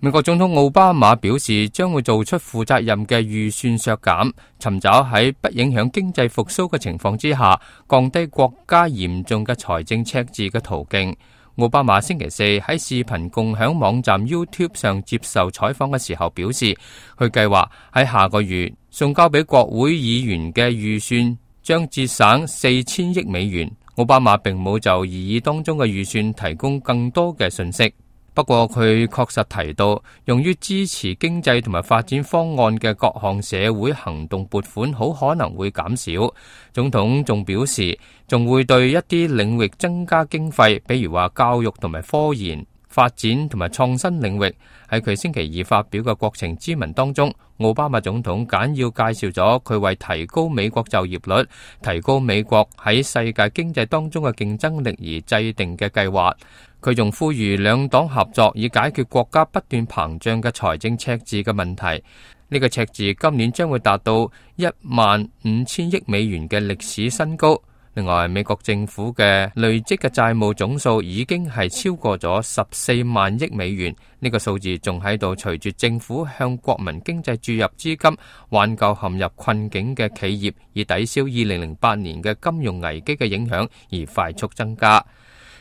美國總統奧巴馬表示，將會做出負責任嘅預算削減，尋找喺不影響經濟復甦嘅情況之下，降低國家嚴重嘅財政赤字嘅途徑。奧巴馬星期四喺視頻共享網站 YouTube 上接受採訪嘅時候表示，佢計劃喺下個月送交俾國會議員嘅預算將節省4000億美元。奧巴馬並冇就擬議當中嘅預算提供更多嘅信息。不過佢確實提到，用於支持經濟同埋發展方案嘅各項社會行動撥款好可能會減少。總統仲表示，仲會對一啲領域增加經費，比如話教育同埋科研發展同埋創新領域。喺佢星期二發表嘅國情咨文當中，奧巴馬總統簡要介紹咗佢為提高美國就業率、提高美國喺世界經濟當中嘅競爭力而制定嘅計劃。佢仲呼籲兩黨合作，以解決國家不斷膨脹嘅財政赤字嘅問題。呢個赤字今年將會達到15000億美元嘅歷史新高。另外，美國政府嘅累積嘅債務總數已經係超過咗14萬億美元。呢個數字仲喺度隨住政府向國民經濟注入資金，挽救陷入困境嘅企業，以抵消2008年嘅金融危機嘅影響而快速增加。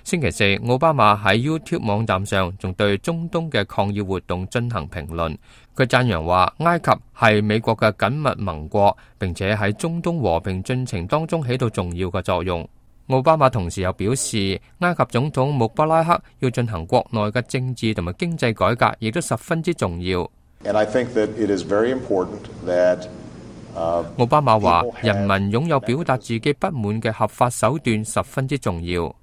星期四，奧巴馬喺 YouTube 網站上仲對中東嘅抗議活動進行評論。佢讚揚話，埃及係美國嘅緊密盟國，並且喺中東和平進程當中起到重要嘅作用。奧巴馬同時又表示，埃及總統穆巴拉克要進行國內嘅政治同埋經濟改革，亦都十分之重要。奧巴馬話，人民擁有表達自己不滿嘅合法手段十分之重要。